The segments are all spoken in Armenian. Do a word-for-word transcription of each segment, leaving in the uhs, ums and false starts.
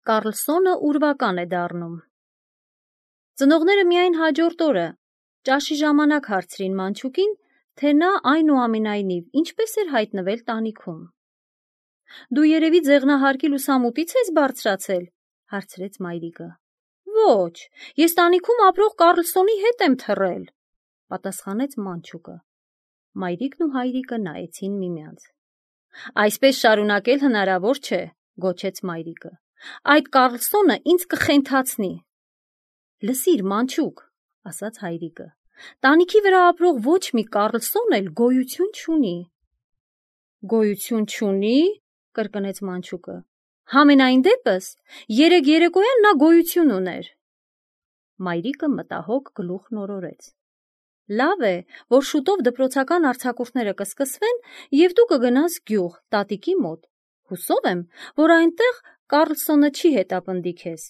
Կառլսոնը ուրվական է դառնում։ Ծնողները միայն հաջորդ օրը ճաշի ժամանակ հարցրին մանչուկին, թե նա այնուամենայնիվ ինչպես էր հայտնվել տանիքում։ «Դու երևի ձեղնահարկի լուսամուտից ես բարձրացել», հարցրեց մայրիկը։ «Ոչ, ես տանիքում ապրող Կառլսոնի հետ եմ թռել», պատասխանեց մանչուկը։ Մայրիկն ու հայրիկը նայեցին միմյանց։ «Այսպես շարունակել հնարավոր չէ», գոչեց մայրիկը։ «Այդ Կառլսոնը ինձ կխենթացնի»։ «Լսիր, մանչուկ», ասաց հայրիկը, «տանիքի վրա ապրող ոչ մի Կառլսոն էլ գոյություն չունի»։ «Գոյություն չունի», կրկնեց մանչուկը։ «Համենայն դեպս, երեկ երեկոյան նա գոյություն ուներ»։ Մայրիկը մտահոգ գլուխ նորորեց։ «Լավ է, որ շուտով դպրոցական արձակուրդները կսկսվեն, և դու կգնաս գյուղ, տատիկի մոտ։ Հուսով եմ, որ այնտեղ Կառլսոնը չի հետապնդի քեզ»։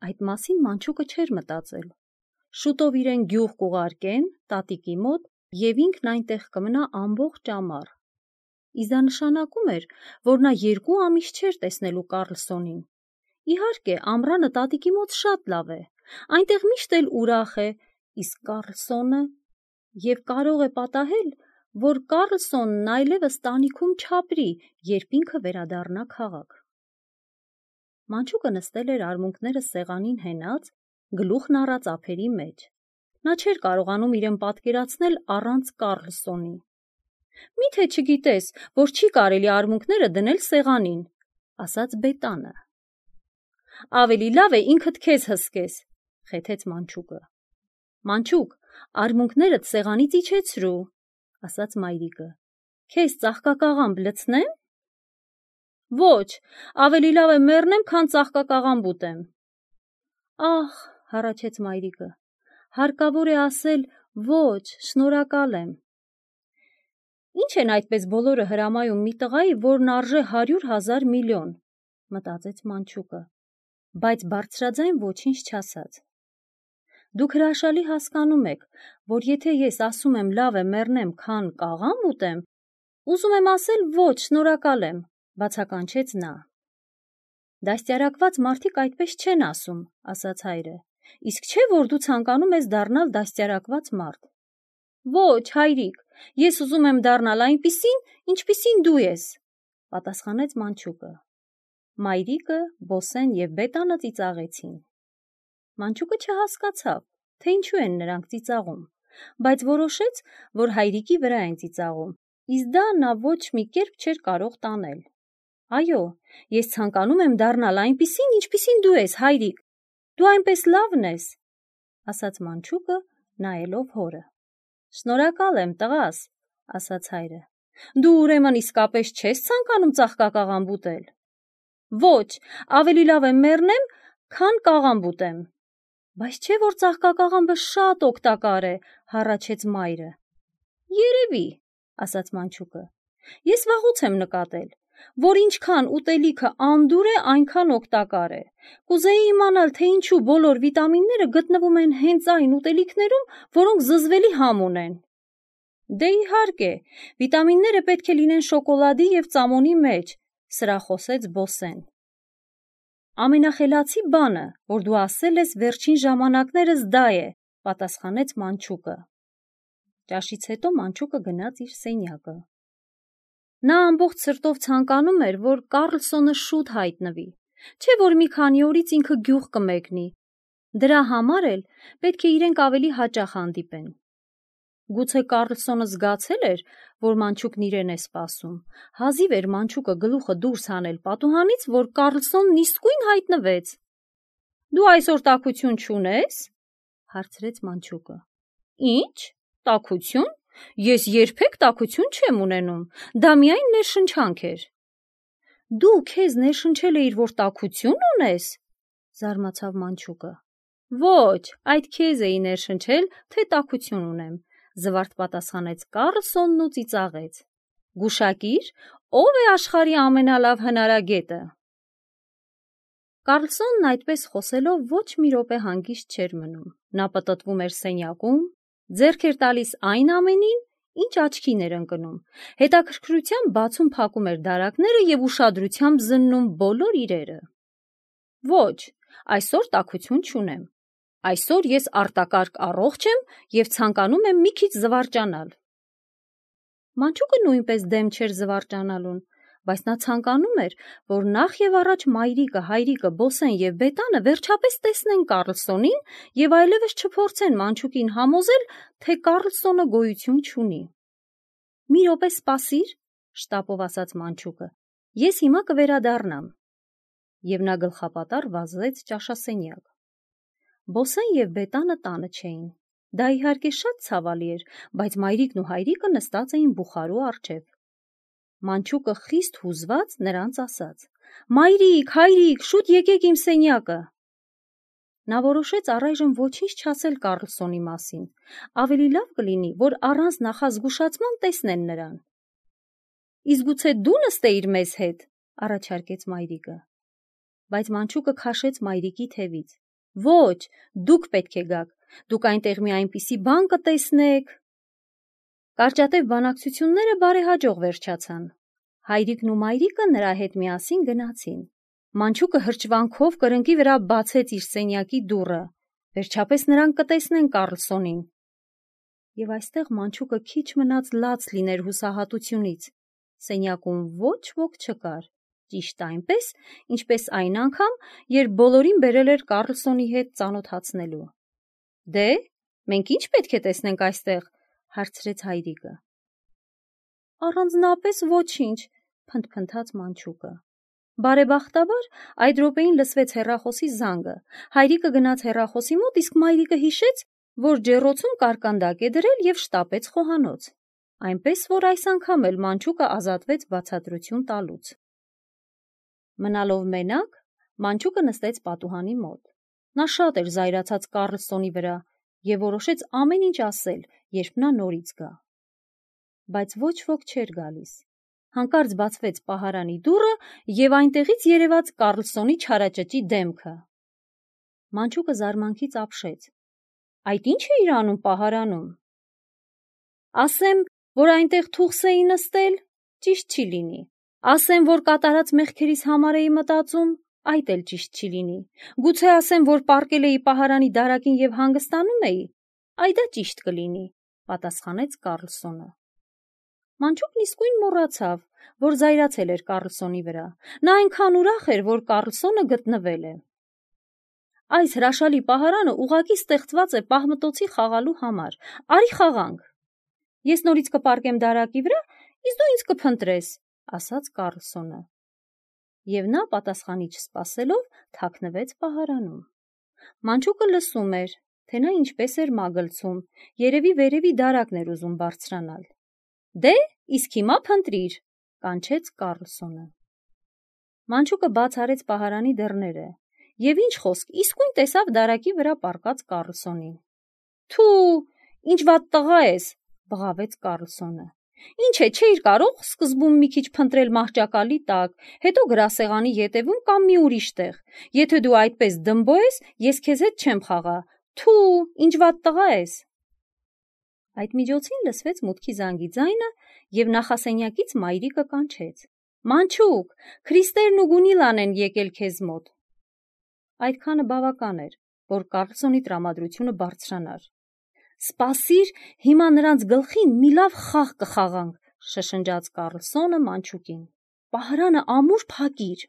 Այդ մասին մանչուկը չէր մտածել։ Շուտով իրեն գյուղ կուղարկեն, տատիկի մոտ, և ինքն այնտեղ կմնա ամբողջ ամառ։ Իսկ դա նշանակում էր, որ նա երկու ամիս չէր տեսնելու Կառլսոնին։ Իհարկե, ամռանը տատիկի մոտ շատ լավ է, այնտեղ միշտ էլ ուրախ է, իսկ Կառլսոնը… Եվ կարող է պատահել, որ Կառլսոնն այլևս տանիքում չապրի, երբ ինքը վերադառնա քաղաք։ Մանչուկը նստել էր արմունկները սեղանին հենած, գլուխն առած ափերի մեջ։ Նա չէր կարողանում իրեն պատկերացնել առանց Կառլսոնի։ «Մի՞թե չգիտես, որ չի կարելի արմունկները դնել սեղանին», ասաց Բետանը։ «Ավելի լավ է ինքդ քեզ հսկես», խեթեց մանչուկը։ «Մանչուկ, արմունկներդ սեղանից իջեցրու», ասաց մայրիկը։ «Քեզ ծաղկակաղամբ լցնե՞մ»։ «Ոչ, ավելի լավ է մեռնեմ, քան ծաղկակաղամբ ուտեմ»։ «Ահ», հառաչեց մայրիկը, «հարկավոր է ասել ոչ, շնորհակալ եմ»։ «Ինչ են այդպես բոլորը հրամայում մի տղայի, որն արժե հարյուր հազար միլիոն», մտածեց մանչուկը, բայց բարձրաձայն ոչինչ չասաց։ «Դուք հրաշալի հասկանում եք, որ եթե ես ասում եմ լավ է մեռնեմ, քան կաղամբ ուտեմ, ուզում եմ ասել ոչ, շնորհակալ եմ», բացականչեց նա։ «Դաստիարակված մարդիկ այդպես չեն ասում», ասաց հայրը, «իսկ չէ, որ դու ցանկանում ես դառնալ դաստիարակված մարդ»։ «Ոչ, հայրիկ, ես ուզում եմ դառնալ այնպիսին, ինչպիսին դու ես», պատասխանեց մանչուկը։ Մայրիկը, Բոսեն և Բետանը ծիծաղեցին։ Մանչուկը չհասկացավ, թե ինչու են նրանք ծիծաղում, բայց որոշեց, որ հայրիկի վրա են ծիծաղում, իսկ դա նա ոչ մի կերպ չէր կարող տանել։ «Այո, ես ցանկանում եմ դառնալ այնպիսին, ինչպիսին դու ես, հայրիկ, դու այնպես լավն ես», ասաց մանչուկը, նայելով հորը։ «Շնորհակալ եմ, տղաս», ասաց հայրը։ «Դու ուրեմն իսկապես չես ցանկանում ծաղկակաղամբ ուտել»։ «Ոչ, ավելի լավ է մեռնեմ, քան կաղամբ ուտեմ»։ «Բայց չէ՞ որ ծաղկակաղամբը շատ օգտակար է», հառաչեց մայրը։ «Երևի», ասաց մանչուկը։ «Ես վաղուց եմ նկատել, որ ինչքան ուտելիքը անդուր է, այնքան օգտակար է։ Կուզեի իմանալ, թե ինչու բոլոր վիտամինները գտնվում են հենց այն ուտելիքներում, որոնք զզվելի համ ունեն»։ «Դե իհարկե, վիտամինները պետք է լինեն շոկոլադի և ծամոնի մեջ», սրախոսեց Բոսեն։ «Ամենախելացի բանը, որ դու ասել ես վերջին ժամանակներս, դա է», պատասխանեց մանչուկը։ Ճաշից հետո մանչուկը գնաց իր սենյակը։ Նա ամբողջ սրտով ցանկանում էր, որ Կառլսոնը շուտ հայտնվի, չէ՞ որ մի քանի օրից ինքը գյուղ կմեկնի։ Դրա համար էլ պետք է իրենք ավելի հաճախ հանդիպեն։ Գուցե Կառլսոնը զգացել էր, որ մանչուկն իրեն է սպասում։ Հազիվ էր մանչուկը գլուխը դուրս հանել պատուհանից, որ Կառլսոնն իսկույն հայտնվեց։ «Դու այսօր տաքություն չունե՞ս», հարցրեց մանչուկը։ «Ի՞նչ, տաքություն, ես երբեք տաքություն չեմ ունենում, դա միայն ներշնչանք էր»։ «Դու քեզ ներշնչել էիր, որ տաքություն ունես», զարմացավ մանչուկը։ «Ոչ, այդ քեզ էի ներշնչել, թե տաքություն ունեմ», զվարթ պատասխանեց Կառլսոնն ու ծիծաղեց։ «Գուշակիր, ով է աշխարհի ամենալավ հնարագետը»։ Կառլսոնն այդպես խոսելով ոչ մի րոպե հանգիստ չէր մնում։ Նա պտտվում էր սենյակում, ձեռք էր տալիս այն ամենին, ինչ աչքին էր ընկնում, հետաքրքրությամբ բացում փակում էր դարակները և ուշադրությամբ զննում բոլոր իրերը։ Ոչ, այսօր տաքություն չունեմ։ Այսօր ես արտակարգ առողջ եմ և ցանկանում եմ մի քիչ զվարճանալ։ Մանչուկը նույնպես դեմ չէր զվարճանալուն, բայց նա ցանկանում էր, որ նախ և առաջ մայրիկը, հայրիկը, Բոսեն և Բետանը վերջապես տեսնեն Կառլսոնին և այլևս չփորձեն Մանչուկին համոզել, թե Կառլսոնը գոյություն չունի։ Մի րոպե սպասիր, շտապով ասաց Մանչուկը, ես հիմա կվերադառնամ։ Եվ նա գլխապատառ վազեց ճաշասենյակ։ Բոսեն և Բետանը տանը չէին։ Դա իհարկե շատ ցավալի էր, բայց մայրիկն ու հայրիկը նստած էին բուխարու առջև։ Մանչուկը խիստ հուզված նրանց ասաց. «Մայրիկ, հայրիկ, շուտ եկեք իմ սենյակը»։ Նա որոշեց առայժմ ոչինչ չասել Կառլսոնի մասին։ Ավելի լավ կլինի, որ առանց նախազգուշացման տեսնեն նրան։ Իսկ գուցե դու նստեիր մեզ հետ, առաջարկեց մայրիկը։ Բայց Մանչուկը քաշեց մայրիկի թևից. Ոչ, դուք պետք է գաք, դուք այնտեղ մի այնպիսի բան կտեսնեք։ Կարճատև բանակցությունները բարեհաջող վերջացան։ Հայրիկն ու մայրիկը նրա հետ միասին գնացին։ Մանչուկը հրճվանքով կրնկի վրա բացեց իր սենյակի դուռը։ Վերջապես նրանք կտեսնեն Կառլսոնին։ Եվ այստեղ Մանչուկը քիչ մնաց լաց լիներ հուսահատությունից։ Սենյակում ոչ ոք չկար, ճիշտ այնպես, ինչպես այն անգամ, երբ բոլորին բերել էր Կառլսոնի հետ ծանոթացնելու։ Դե, մենք ինչ պետք է տեսնենք այստեղ, հարցրեց հայրիկը։ Առանձնապես ոչինչ, փնթփնթաց Մանչուկը։ Բարեբախտաբար այդ րոպեին լսվեց հեռախոսի զանգը։ Հայրիկը գնաց հեռախոսի մոտ, իսկ մայրիկը հիշեց, որ ջեռոցում կարկանդակ է դրել և շտապեց խոհանոց։ Այնպես, որ այս անգամ էլ Մանչուկը ազատվեց բացատրություն տալուց։ Մնալով մենակ, Մանչուկը նստեց պատուհանի մոտ։ Նա շատ էր զայրացած Կառլսոնի վրա և որոշեց ամեն ինչ ասել, երբ նա նորից գա։ Բայց ոչ ոք չէր գալիս։ Հանկարծ բացվեց պահարանի դուռը և այնտեղից երևաց Կառլսոնի չարաճճի դեմքը։ Մանչուկը զարմանքից ապշեց. Այդ ի՞նչ էիր անում պահարանում։ Ասեմ, որ այնտեղ թուղթ էի նստել, ճիշտ չի լինի։ Ասեմ, որ կատարած մեղքերիս համար էի մտածում, այդ էլ ճիշտ չի լինի։ Գուցե ասեմ, որ պառկել էի պահարանի դարակին և հանգստանում էի, այ դա ճիշտ կլինի, պատասխանեց Կառլսոնը։ Մանչուկն իսկույն մոռացավ, որ զայրացել էր Կառլսոնի վրա։ Նա այնքան ուրախ էր, որ Կառլսոնը գտնվել է։ Այս հրաշալի պահարանը ուղղակի ստեղծված է պահմտոցի խաղալու համար։ Արի խաղանք։ Ես նորից կպառկեմ դարակի վրա, իսկ դու ինձ կփնտրես, ասաց Կառլսոնը։ Եվ նա պատասխանի չսպասելով թաքնվեց պահարանում։ Մանչուկը լսում էր, թե նա ինչպես էր մագլցում, երևի վերևի դարակն էր ուզում բարձրանալ։ Դե, իսկ հիմա փնտրիր, կանչեց Կառլսոնը։ Մանչուկը բաց արեց պահարանի դռները և ինչ խոսք, իսկույն տեսավ դարակի վրա պառկած Կառլսոնին։ Թու, ինչ վատ տղա ես, բղավեց Կառլսոնը։ Ինչ է, չէիր կարող սկզբում մի քիչ փնտրել մահճակալի տակ, հետո գրասեղանի ետևում կամ մի ուրիշ տեղ։ Եթե դու այդպես դմբո ես, ես քեզ հետ չեմ խաղա։ Թու, ինչ վատ տղա ես։ Այդ միջոցին լսվեց մուտքի զանգի ձայնը և նախասենյակից մայրիկը կանչեց. Մանչուկ, Քրիստերն ու Գունիլան են եկել քեզ մոտ։ Այդքանը բավական էր, որ Կառլսոնի տրամադրությունը բարձրանար։ Սպասիր, հիմա նրանց գլխին մի լավ խաղ կխաղանք, շշնջաց Կառլսոնը Մանչուկին։ Պահարանը ամուր փակիր։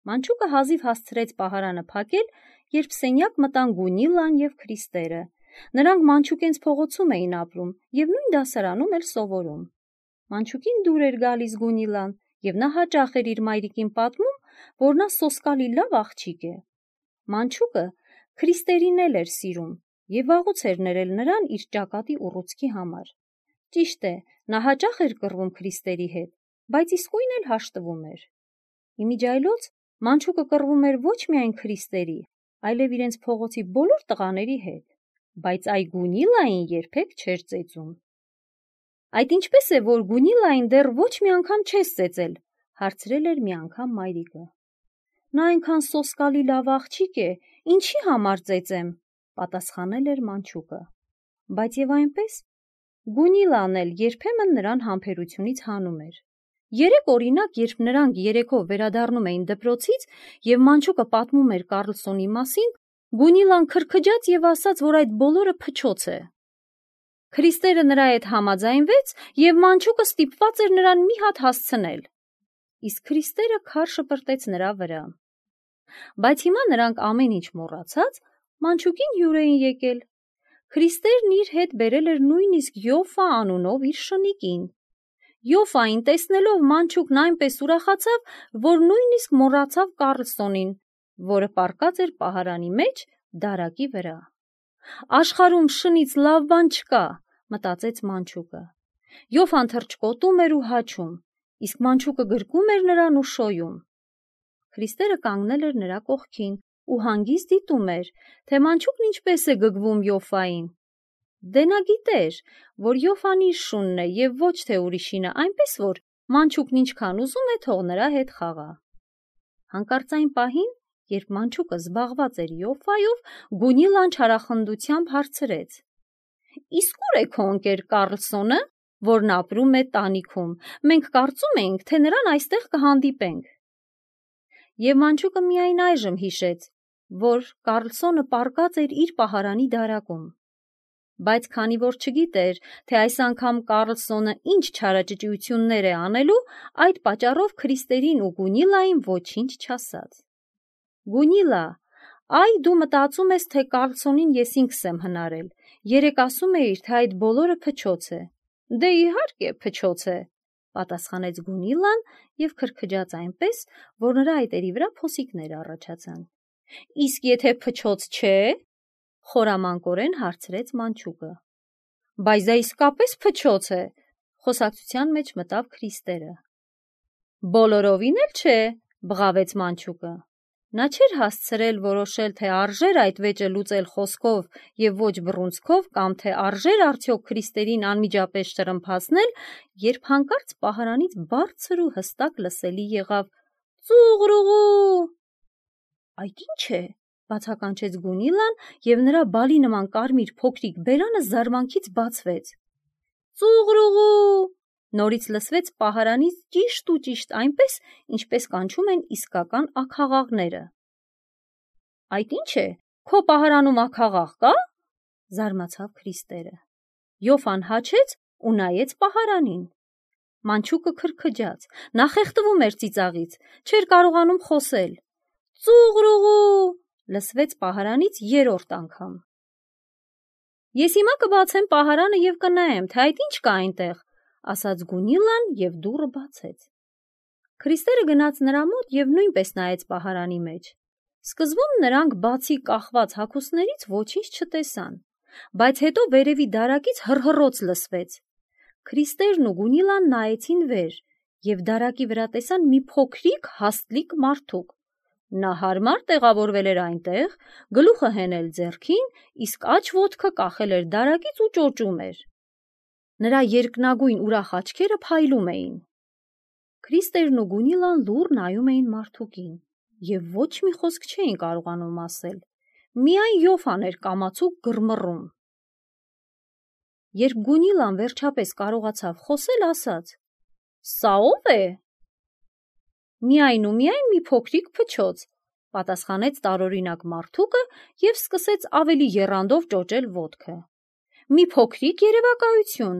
Մանչուկը հազիվ հասցրեց պահարանը փակել, երբ սենյակ մտան Գունիլան և Քրիստերը։ Նրանք Մանչուկենց փողոցում էին ապրում և նույն դասարանում էլ սովորում։ Մանչուկին դուր էր գալիս Գունիլան, և նա հաճախ էր իր մայրիկին պատմում, որ նա սոսկալի լավ աղջիկ է։ Մանչուկը Քրիստերին էլ էր սիրում և վաղուց էր ներել նրան իր ճակատի ուռուցքի համար։ Ճիշտ է, նա հաճախ էր կռվում Քրիստերի հետ, բայց իսկույն էլ հաշտվում էր։ Իմիջիայլոց Մանչուկը կռվում էր ոչ միայն Քրիստերի, այլև իրենց փողոցի բոլոր տղաների հետ, բայց այ Գունիլային երբեք չէր ծեծում։ Այդ ինչպե՞ս է, որ Գունիլային դեռ ոչ մի անգամ չես ծեծել, հարցրել էր մի անգամ մայրիկը։ Նա այնքան սոսկալի լավ աղջիկ է, ինչի համար ծեծեմ, պատասխանել էր Մանչուկը։ Բայց և այնպես Գունիլան էլ երբեմն նրան համբերությունից հանում էր։ Երեք օրինակ, երբ նրանք երեքով վերադառնում էին դպրոցից և Մանչուկը պատմում էր Կառլսոնի մասին, Գունիլան քրքջաց և ասաց, որ այդ բոլորը փչոց է։ Քրիստերը նրա հետ համաձայնվեց և Մանչուկը ստիպված էր նրան մի հատ հասցնել, իսկ Քրիստերը քար շպրտեց նրա վրա։ Բայց հիմա նրանք ամեն ինչ մոռացած Մանչուկին հյուր էին եկել։ Քրիստերն իր հետ բերել էր նույնիսկ Յոֆա անունով իր շնիկին։ Յոֆային տեսնելով Մանչուկն այնպես ուրախացավ, որ նույնիսկ մոռացավ Կառլսոնին, որը պառկած էր պահարանի մեջ դարակի վրա։ Աշխարհում շնից լավ բան չկա, մտածեց Մանչուկը։ Յոֆան թռչկոտում էր ու հաչում, իսկ Մանչուկը գրկում էր նրան ու շոյում։ Քրիստերը կանգնել էր նրա կողքին ու հանգիստ դիտում էր, թե Մանչուկն ինչպես է գգվում Յոֆային։ Դե նա գիտեր, որ Յոֆան իր շունն է և ոչ թե ուրիշինը, այնպես որ Մանչուկն ինչքան ուզում է, թող նրա հետ խաղա։ Հանկարծ այն պահին, երբ Մանչուկը զբաղված էր Յոֆայով, Գունիլան չարախնդությամբ հարցրեց. «Իսկ ո՞ւր է քո ընկեր Կառլսոնը, որն ապրում է տանիքում։ Մենք կարծում էինք, թե նրան այստեղ կհանդիպենք»։ Եվ Մանչուկը միայն այժմ հիշեց, որ Կառլսոնը պառկած էր իր պահարանի դարակում։ Բայց քանի որ չգիտեր, թե այս անգամ Կառլսոնը ինչ չարաճճիություններ է անելու, այդ պատճառով Քրիստերին ու Գունիլային ոչինչ չասաց։ «Գունիլա, այ դու մտածում ես, թե Կառլսոնին ես ինքս եմ հնարել։ Երեկ ասում էիր, թե այդ բոլորը փչոց է»։ «Դե իհարկե, փչոց է», պատասխանեց Գունիլան և քրքջաց այնպես, որ նրա այտերի վրա փոսիկներ առաջացան։ «Իսկ եթե փչոց չէ», խորամանկորեն հարցրեց Մանչուկը։ «Բայց դա իսկապես փչոց է», խոսակցության մեջ մտավ Քրիստերը։ «Բոլորովին էլ չէ», բղավեց Մանչուկը։ Նա չէր հասցրել որոշել, թե արժե՞ր այդ վեճը լուծել խոսքով և ոչ բռունցքով կամ թե արժե՞ր արդյոք Քրիստերին անմիջապես շրմփացնել, երբ հանկարծ պահարանից բարձր ու հստակ լսելի եղավ. «Ծուղռուղու»։ «Այդ ի՞նչ է», բացականչեց Գունիլան, և նրա բալի նման կարմիր փոքրիկ բերանը զարմանքից բացվեց։ «Ծուղռուղու», նորից լսվեց պահարանից ճիշտ ու ճիշտ այնպես, ինչպես կանչում են իսկական աքաղաղները։ «Այդ ի՞նչ է, քո պահարանում աքաղաղ կա»։ զարմացավ Քրիստերը։ Յոֆան հաչեց ու նայեց պահարանին։ Մանչուկը քրքջաց, նա խեղդվում էր ծիծաղից, չէր կարողանում խոսել։ «Ծուղռուղու», լսվեց պահարանից երրորդ անգամ։ «Ես հիմա կբացեմ պահարանը և կնայեմ, թե այդ ինչ կա այնտեղ», ասաց Գունիլան և դուռը բացեց։ Քրիստերը գնաց նրա մոտ և նույնպես նայեց պահարանի մեջ։ Սկզբում նրանք բացի կախված հագուստներից ոչինչ չտեսան, բայց հետո վերևի դարակից հռհռոց լսվեց։ Քրիստերն ու Գունիլան նայեցին վեր և դարակի վրա տեսան մի փոքրիկ հաստլիկ մարդուկ։ Նա հարմար տեղավորվել էր այնտեղ, գլուխը հենել ձեռքին, իսկ աջ ոտքը կախել էր դարակից ու ճոճում էր։ Նրա երկնագույն ուրախ աչքերը փայլում էին։ Քրիստերն ու Գունիլան լուռ նայում էին մարդուկին և ոչ մի խոսք չէին կարողանում ասել։ Միայն Յոֆան էր կամացուկ գռմռում։ Երբ Գունիլան վերջապես կարողացավ խոսել, ասաց. «Սա ո՞վ է»։ «Միայն ու միայն մի փոքրիկ փչոց», պատասխանեց տարօրինակ մարդուկը և սկսեց ավելի եռանդով ճոճել ոտքը։ «Մի փոքրիկ երևակայություն,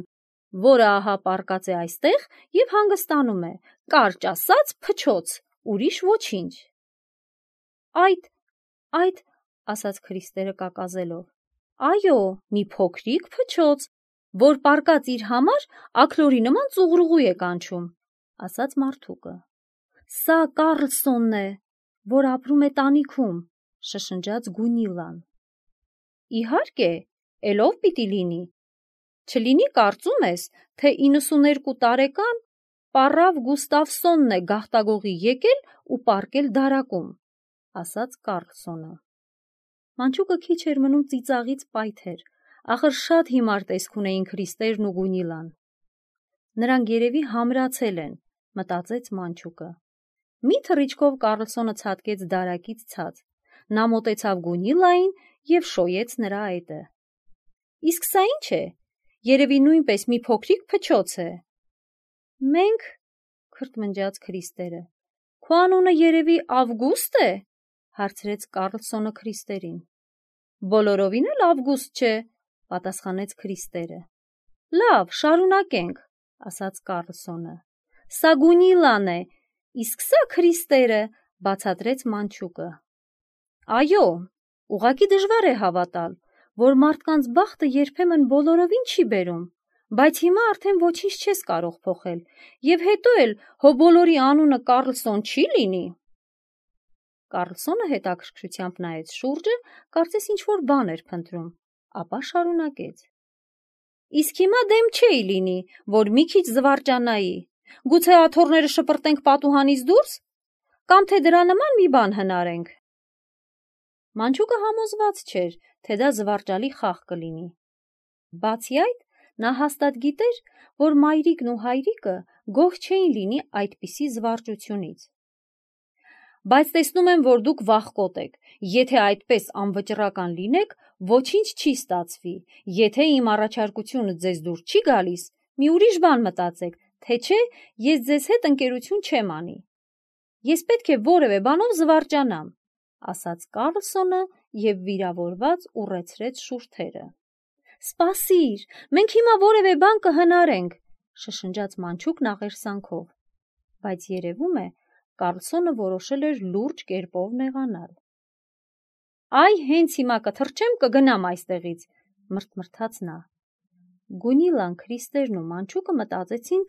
որը ահա պառկած է այստեղ և հանգստանում է, կարճ ասած փչոց, ուրիշ ոչինչ»։ «Այդ, այդ», ասաց Քրիստերը կակազելով, «այո, մի փոքրիկ փչոց, որ պառկած իր համար աքլորի նման ծուղռուղու է կանչում», ասաց մարդուկը։ «Սա Կառլսոնն է, որ ապրում է տանիքում», շշնջաց Գունիլան։ «Իհարկե, էլ ով պիտի լինի։ Չլինի կարծում ես, թե իննսուներկու տարեկան պառավ Գուստավսոնն է գաղտագողի եկել ու պառկել դարակում», ասաց Կառլսոնը։ Մանչուկը քիչ էր մնում ծիծաղից պայթեր, ախր շատ հիմար տեսք ունեին Քրիստերն ու Գունիլան։ Նրանք երևի համրացել են, մտածեց Մանչուկը։ Մի թռիչքով Կառլսոնը ցատկեց դարակից ցած։ Նա մոտեցավ Գունիլային և շոյեց նրա այտը։ «Իսկ սա ի՞նչ է, երևի նույնպես մի փոքրիկ փչոց է»։ «Մենք», քրթմնջաց Քրիստերը։ Քո անունը երևի Ավգուստ է, հարցրեց Կարլսոնը Քրիստերին։ Բոլորովին էլ Ավգուստ չէ, պատասխանեց Քրիստերը։ Լավ, շարունակենք, ասաց Կարլսոնը։ Սա Գունիլան է, իսկ սա Քրիստերը, բացատրեց Մանչուկը։ Այո, ուղղակի դժվար է հավատալ, որ մարդկանց բախտը երբեմն բոլորովին չի բերում, բայց հիմա արդեն ոչինչ չես կարող փոխել, եւ հետո էլ հո բոլորի անունը Կարլսոն չի լինի։ Կարլսոնը հետաքրքրությամբ նայեց շուրջը, կարծես ինչ-որ բան էր փնտրում, ապա շարունակեց. Իսկ հիմա դեմ չէի լինի, որ մի քիչ զվարճանայի, գուցե աթոռները շպրտենք պատուհանից դուրս, կամ թե դրա նման մի բան հնարենք։ Մանչուկը համոզված չէր, թե դա զվարճալի խաղ կլինի։ Բացի այդ, նա հաստատ գիտեր, որ մայրիկն ու հայրիկը գոհ չէին լինի այդպիսի զվարճությունից։ Բայց տեսնում եմ, որ դուք վախկոտ եք, եթե այդպես անվճռական լինեք, ոչինչ չի ստացվի, եթե իմ առաջարկությունը ձեզ դուր չի գալիս, մի ուրիշ բան մտածեք, թե չէ ես ձեզ հետ ընկերություն չեմ անի։ Ես պետք է որևէ բանով զվարճանամ, ասաց Կարլսոնը և վիրավորված ուռեցրեց շուրթերը։ Սպասիր, մենք հիմա որևէ բան կհնարենք, շշնջաց Մանչուկն աղերսանքով, բայց երևում է, Կարլսոնը որոշել էր լուրջ կերպով նեղանալ։ Այ հենց հիմա կթռչեմ կգնամ այստեղից, մրթմրթաց նա։ Գունիլան, Քրիստերն ու Մանչուկը մտածեցին,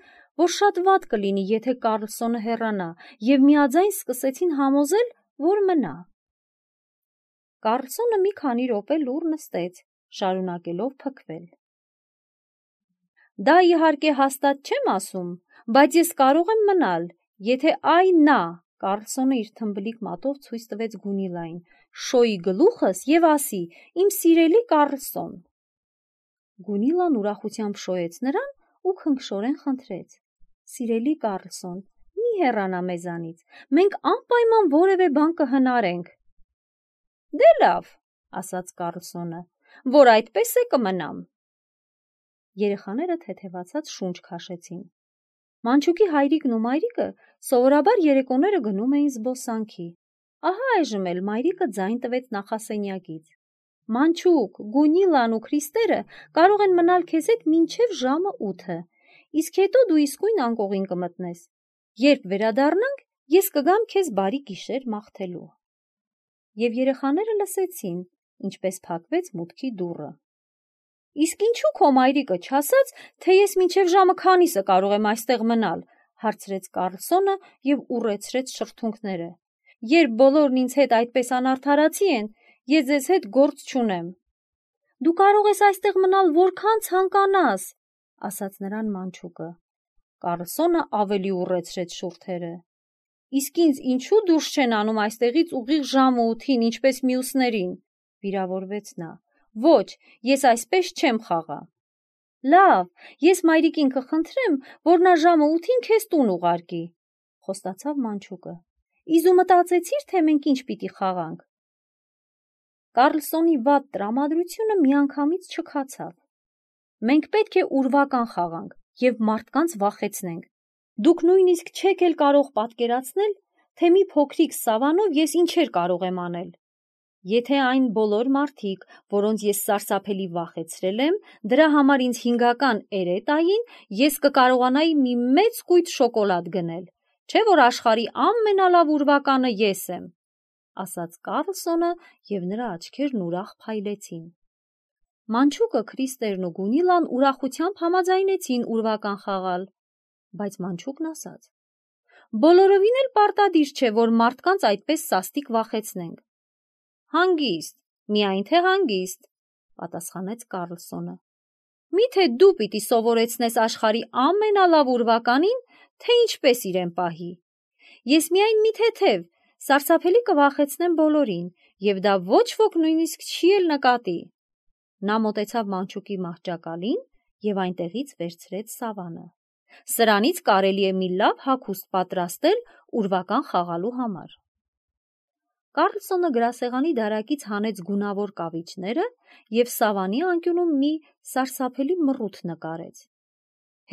որ շատ վատ կլինի, եթե Կարլսոնը հեռանա, և միաձայն սկսեցին համոզել, որ մնա։ Կարլսոնը մի քանի րոպե լուռ նստեց, շարունակելով փքվել։ Դա իհարկե հաստատ չեմ ասում, բայց ես կարող եմ մնալ, եթե այ նա, Կարլսոնը իր թմբլիկ մատով ցույց տվեց Գունիլային, շոյի գլուխս և ասի, իմ սիրելի Կարլսոն։ Գունիլան ուրախությամբ շոյեց նրան ու քնքշորեն խնդրեց. Սիրելի Կարլսոն, մի հեռանա մեզանից, մենք անպայման որևէ բան կհնարենք։ Դե լավ, ասաց Կարլսոնը, որ այդպես է կմնամ։ Երեխաները թեթևացած շունչ քաշեցին։ Մանչուկի հայրիկն ու մայրիկը սովորաբար երեկոները գնում էին զբոսանքի։ Ահա այժմ էլ մայրիկը ձայն տվեց նախասենյակից։ Մանչուկ, Գունիլան ու Քրիստերը կարող են մնալ քեզ հետ մինչև ժամը ութը, իսկ հետո դու իսկույն անկողին կմտնես։ Երբ վերադառնանք, ես կգամ քեզ բարի գիշեր մաղթելու։ Եվ երեխաները լսեցին, ինչպես փակվեց մուտքի դուռը։ Իսկ ինչու քո մայրիկը չասաց, թե ես մինչև ժամը քանիսը կարող եմ այստեղ մնալ, հարցրեց Կարլսոնը և ուռեցրեց շրթունքները։ Երբ բոլորն ինձ հետ այդպես անարդարացի են, ես ձեզ հետ գործ չունեմ։ Դու կարող ես այստեղ մնալ որքան ցանկանաս, ասաց նրան Մանչուկը։ Կարլսոնը ավելի ուռեցրեց շուրթերը։ Իսկ ինձ ինչու դուրս չեն անում այստեղից ուղիղ ժամը ութին, ինչպես մյուսներին, վիրավորվեց նա։ Ոչ, ես այսպես չեմ խաղա։ Լավ, ես մայրիկին կխնդրեմ, որ նա ժամը ութին քեզ տուն ուղարկի, խոստացավ Մանչուկը։ Իզու մտածեցիր, թե մենք ինչ պիտի խաղանք։ Կարլսոնի վատ տրամադրությունը միանգամից չքացավ։ Մենք պետք է ուրվական խաղանք և մարդկանց վախեցնենք։ Դուք նույնիսկ չեք էլ կարող պատկերացնել, թե մի փոքրիկ սավանով ես ինչեր կարող եմ անել։ Եթե այն բոլոր մարդիկ, որոնց ես սարսափելի վախեցրել եմ, դրա համար ինձ հինգական էրե տային, ես կկարողանայի մի մեծ կույտ շոկոլադ գնել, չէ՞ որ աշխարհի ամենալավ ուրվականը ես եմ, ասաց Կարլսոնը, և նրա աչքերն ուրախ փայլեցին։ Մանչուկը, Քրիստերն ու Գունիլան ուրախությամբ համաձայնեցին ուրվական խաղալ, բայց Մանչուկն ասաց. Բոլորովին էլ պարտադիր չէ, որ մարդկանց այդպես սաստիկ վախեցնենք։ Հանգիստ, միայն թե հանգիստ, պատասխանեց Կարլսոնը։ Միթե դու պիտի սովորեցնես աշխարհի ամենալավ ուրվականին, թե ինչպես իրեն պահի։ Ես միայն մի թեթև, սարսափելի կվախեցնեմ բոլորին, և դա ոչ ոք նույնիսկ չի էլ նկատի։ Նա մոտեցավ Մանչուկի մահճակալին և այնտեղից վերցրեց սավանը։ Սրանից կարելի է մի լավ հագուստ պատրաստել ուրվական խաղալու համար։ Կարլսոնը գրասեղանի դարակից հանեց գունավոր կավիճները և սավանի անկյունում մի սարսափելի մռութ նկարեց։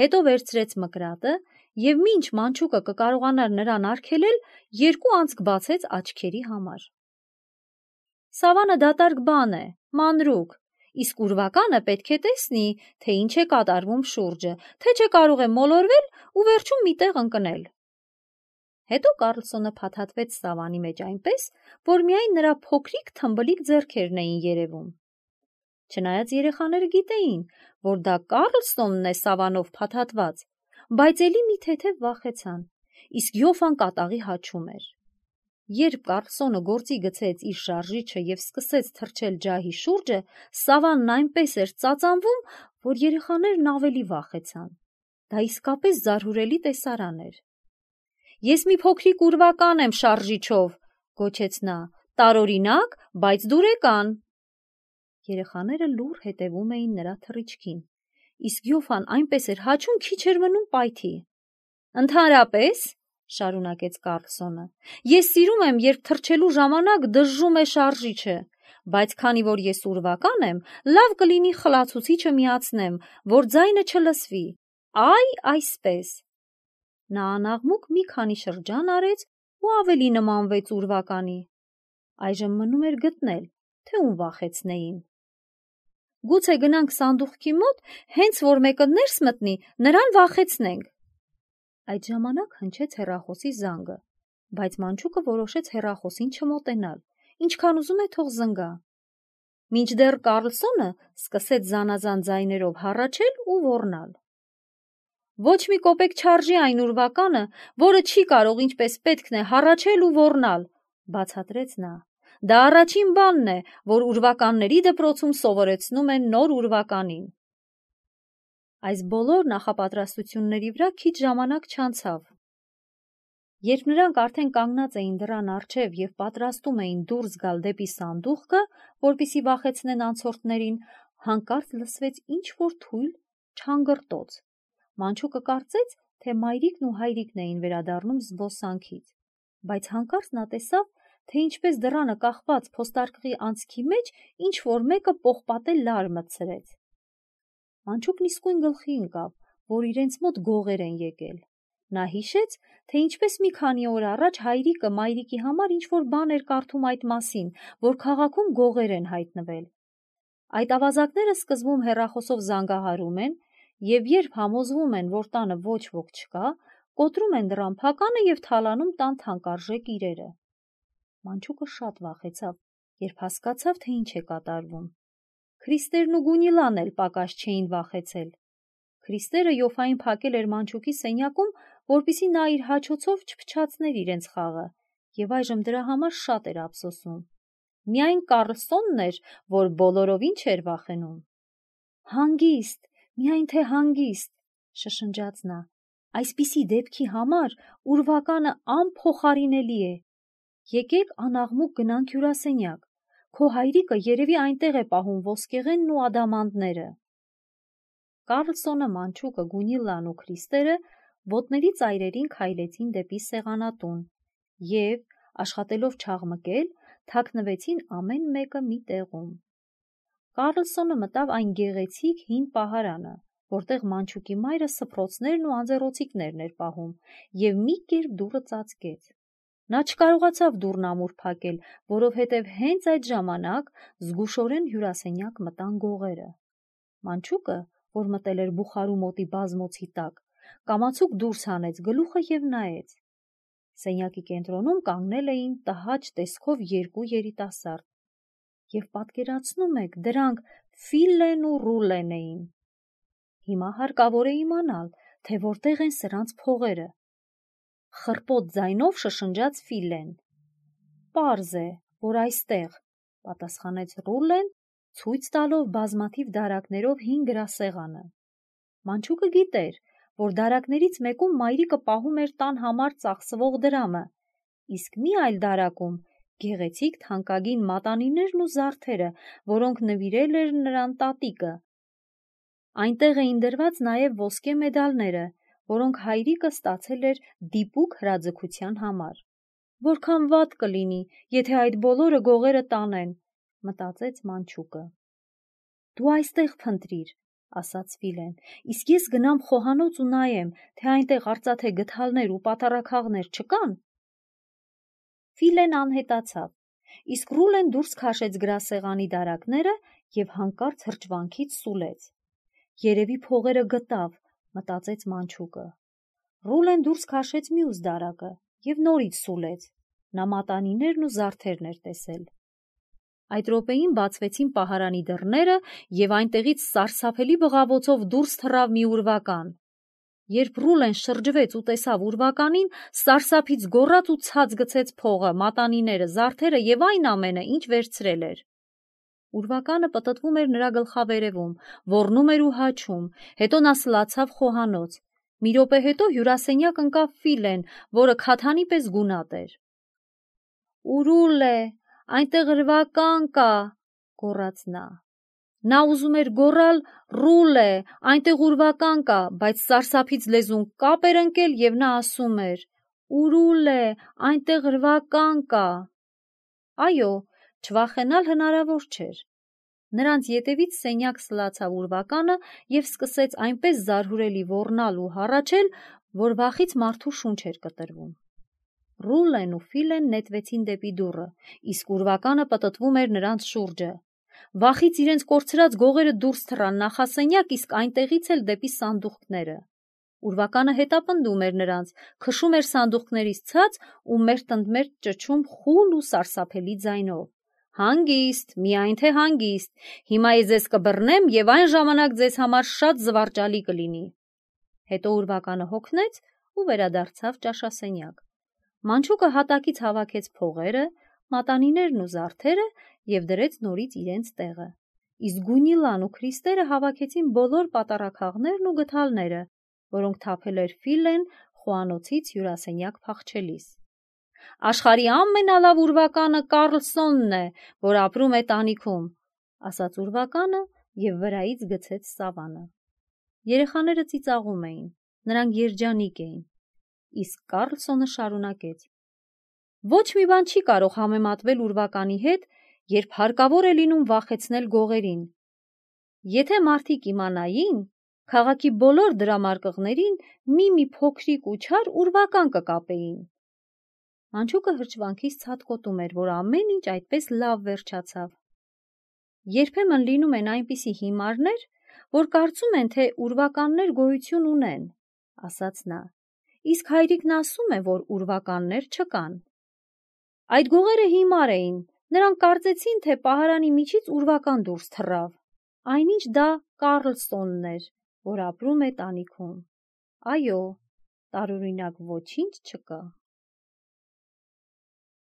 Հետո վերցրեց մկրատը եւ մինչ մանչուկը կկարողանար նրան արգելել, երկու անցք բացեց աչքերի համար։ Սավանը դատարկ բան է, մանրուք, իսկ ուրվականը պետք է տեսնի, թե ինչ է կատարվում շուրջը, թե չէ կարող է մոլորվել ու վերջում մի տեղ ընկնել։ Հետո Կարլսոնը փաթաթվեց սավանի մեջ այնպես, որ միայն նրա փոքրիկ թմբլիկ ձեռքերն էին երևում։ Չնայած երեխաները գիտեին, որ դա Կարլսոնն է սավանով փաթաթված, բայց էլի մի թեթև վախեցան, իսկ Յոֆան կատաղի հաչում էր։ Երբ Կարլսոնը գործի գցեց իր շարժիչը և սկսեց թռչել ջահի շուրջը, սավանն այնպես էր ծածանվում, որ երեխաներն ավելի վախեցան։ Դա իսկապես զարհուրելի տեսարան էր։ «Ես մի փոքրիկ ուրվական եմ շարժիչով», գոչեց նա, «տարօրինակ, բայց դուրեկան»։ Երեխաները լուռ հետևում էին նրա թռիչքին, իսկ Յոֆան այնպես էր հաչում, քիչ էր մնում պայթի։ «Ընդհանրապես, շարունակեց Կարլսոնը, ես սիրում եմ, երբ թռչելու ժամանակ դժժում է շարժիչը, բայց քանի որ ես ուրվական եմ, լավ կլինի խլացուցիչը միացնեմ, որ ձայնը չլսվի, այ այսպես։ Նա անաղմուկ մի քանի շրջան արեց ու ավելի նմանվեց ուրվականի։ Այժմ մնում էր գտնել, թե ում վախեցնեին։ Գուցե գնանք սանդուղքի մոտ, հենց որ մեկը ներս մտնի, նրան վախեցնենք։ Այդ ժամանակ հնչեց հեռախոսի զանգը, բայց մանչուկը որոշեց հեռախոսին չմոտենալ, ինչքան ուզում է թող զնգա։ Մինչդեռ Կարլսոնը սկսեց զանազան ձայներով հառաչել ու ոռնալ։ Ոչ մի կոպեկ չարժի այն ուրվականը, որը չի կարող ինչպես պետքն է հառաչել ու ոռնալ, բացատրեց նա։ Դա առաջին բանն է, որ ուրվականների դպրոցում սովորեցնում են նոր ուրվականին։ Այս բոլոր նախապատրաստությունների վրա քիչ ժամանակ չանցավ։ Երբ նրանք արդեն կանգնած էին դռան առջև և պատրաստում էին դուրս գալ դեպի սանդուղքը, որպեսզի վախեցնեն անցորդներին, հանկարծ լսվեց ինչ-որ թույլ չանգրտոց։ Մանչուկը կարծեց, թե մայրիկն ու հայրիկն էին վերադառնում զբոսանքից, բայց հանկարծ նա տեսավ, թե ինչպես դռանը կախված փոստարկղի անցքի մեջ ինչ-որ մեկը պողպատե լար մտցրեց։ Մանչուկն իսկույն գլխի ընկավ, որ իրենց մոտ գողեր են եկել։ Նա հիշեց, թե ինչպես մի քանի օր առաջ հայրիկը մայրիկի համար ինչ-որ բան էր կարդում այդ մասին, որ քաղաքում գողեր են հայտնվել։ Այդ ավազակները սկզբում հեռախոսով զանգահարում են և երբ համոզվում են, որ տանը ոչ ոք չկա, կոտրում են դռան փականը և թալանում տան թանկարժեք իրերը։ Մանչուկը շատ վախեցավ, երբ հասկացավ, թե ինչ է կատարվում։ Քրիստերն ու Գունիլան էլ պակաս չէին վախեցել։ Քրիստերը Յոֆային փակել էր մանչուկի սենյակում, որպեսզի նա իր հաչոցով չփչացներ իրենց խաղը, և այժմ դրա համար շատ էր ափսոսում։ Միայն Կարլսոնն էր, որ բոլորովին չէր վախենում։ Հանգիստ, միայն թե հանգիստ, շշնջաց նա, այսպիսի դեպքի համար ուրվականը անփոխարինելի է։ Եկեք անաղմուկ գնանք հյուրասենյակ, քո հայրիկը երևի այնտեղ է պահում ոսկեղենն ու ադամանդները։ Կարլսոնը, մանչուկը, Գունիլան ու Քրիստերը ոտների ծայրերին քայլեցին դեպի սեղանատուն և, աշխատելով չաղմկել, թաքնվեցին ամեն մեկը մի տեղում։ Կարլսոնը մտավ այն գեղեցիկ հին պահարանը, որտեղ մանչուկի մայրը սփռոցներն ու անձեռոցիկներն էր պահում, և մի կերպ դուռը ծածկեց։ Նա չկարողացավ դուռն ամուր փակել, որովհետև հենց այդ ժամանակ զգուշորեն հյուրասենյակ մտան գողերը։ Մանչուկը, որ մտել էր բուխարու մոտի բազմոցի տակ, կամացուկ դուրս հանեց գլուխը և նայեց։ Սենյակի կենտրոնում կանգնել էին տհաճ տեսքով երկու երիտասարդ։ Եվ պատկերացնում եք, դրանք Ֆիլլեն ու Ռուլլեն էին։ Հիմա հարկավոր է իմանալ, թե որտեղ են սրանց փողերը։ Խռպոտ ձայնով շշնջաց Ֆիլլեն։ Պարզ է, որ այստեղ, պատասխանեց Ռուլլեն, ցույց տալով բազմաթիվ դարակներով հին գրասեղանը։ Մանչուկը գիտեր, որ դարակներից մեկում մայրիկը պահում էր տան համար ծախսվող դրամը, իսկ մի այլ դարակում գեղեցիկ թանկագին մատանիներն ու զարդերը, որոնք նվիրել էր նրան տատիկը։ Այնտեղ էին դրված նաև ոսկե մեդալները, որոնք հայրիկը ստացել էր դիպուկ հրաձգության համար։ Որքան վատ կլինի, եթե այդ բոլորը գողերը տանեն, մտածեց մանչուկը։ Դու այստեղ փնտրիր, ասաց Ֆիլեն, իսկ ես գնամ խոհանոց ու նայեմ, թե այնտեղ արծաթե գդալներ ու պատառաքաղներ չկան։ Ֆիլեն անհետացավ, իսկ Ռուլեն դուրս քաշեց գրասեղանի դարակները և հանկարծ հրճվանքից սուլեց։ Երևի փողերը գտավ, մտածեց մանչուկը։ Ռուլեն դուրս քաշեց մյուս դարակը և նորից սուլեց։ Նա մատանիներն ու զարդերն էր տեսել։ Այդ րոպեին բացվեցին պահարանի դռները և այնտեղից սարսափելի բղավոցով դուրս թռավ մի ուրվական։ Երբ Ռուլեն շրջվեց ու տեսավ ուրվականին, սարսափից գոռաց ու ցած գցեց փողը, մատանիները, զարդերը և այն ամենը, ինչ վերցրել էր։ Ուրվականը պտտվում էր նրա գլխավերևում, ոռնում էր ու հաչում, հետո նա սլացավ խոհանոց։ Մի րոպե հետո հյուրասենյակ ընկավ Ֆիլեն, որը քաթանի պես գունատ էր։ «Ուրուլ է, այնտեղ ուրվական կա», գոռաց նա։ Նա ուզում էր գոռալ «Ռուլ է, այնտեղ ուրվական կա», բայց սարսափից լեզուն կապ էր ընկել և նա ասում էր. «Ուրուլ է, այնտեղ ուրվական կա»։ Այո, չվախենալ հնարավոր չէր։ Նրանց ետևից սենյակ սլացավ ուրվականը և սկսեց այնպես զարհուրելի ոռնալ ու հառաչել, որ վախից մարդու շունչ էր կտրվում։ Ռուլեն ու Ֆիլեն նետվեցին դեպի դուռը, իսկ ուրվականը պտտվում էր նրանց շուրջը։ Վախից իրենց կորցրած գողերը դուրս թռան նախասենյակ, իսկ այնտեղից էլ դեպի սանդուղքները։ Ուրվականը հետապնդում էր նրանց, քշում էր սանդուղքներից ցած ու մերթընդմերթ ճչում խուլ ու սարսափելի ձայնով. «Հանգիստ, միայն թե հանգիստ, հիմա ես ձեզ կբռնեմ և այն ժամանակ ձեզ համար շատ զվարճալի կլինի»։ Հետո ուրվականը հոգնեց ու վերադարձավ ճաշասենյակ։ Մանչուկը հատակից հավաքեց փողերը, մատանիներն ու զարդերը և դրեց նորից իրենց տեղը, իսկ Գունիլան ու Քրիստերը հավաքեցին բոլոր պատառաքաղներն ու գդալները, որոնք թափել էր Ֆիլեն խոհանոցից հյուրասենյակ փախչելիս։ «Աշխարհի ամենալավ ուրվականը Կարլսոնն է, որ ապրում է տանիքում», ասաց ուրվականը և վրայից գցեց սավանը։ Երեխաները ծիծաղում էին, նրանք երջանիկ էին, իսկ Կարլսոնը շարունակեց. «Ոչ մի բան չի կարող համեմատվել ուրվականի հետ, երբ հարկավոր է լինում վախեցնել գողերին։ Եթե մարդիկ իմանային, քաղաքի բոլոր դրամարկղներին մի-մի փոքրիկ ու չար ուրվական կկապեին»։ Մանչուկը հրճվանքից ցատկոտում էր, որ ամեն ինչ այդպես լավ վերջացավ։ Երբեմն լինում են այնպիսի հիմարներ, որ կարծում են, թե ուրվականներ գոյություն ունեն, ասաց նա, իսկ հայրիկն ասում է, որ ուրվականներ չկան։ Այդ գողերը հիմար էին, նրանք կարծեցին, թե պահարանի միջից ուրվական դուրս թռավ, այնինչ դա Կարլսոնն էր, որ ապրում է տանիքում։ Այո, տարօրինակ ոչինչ չկա։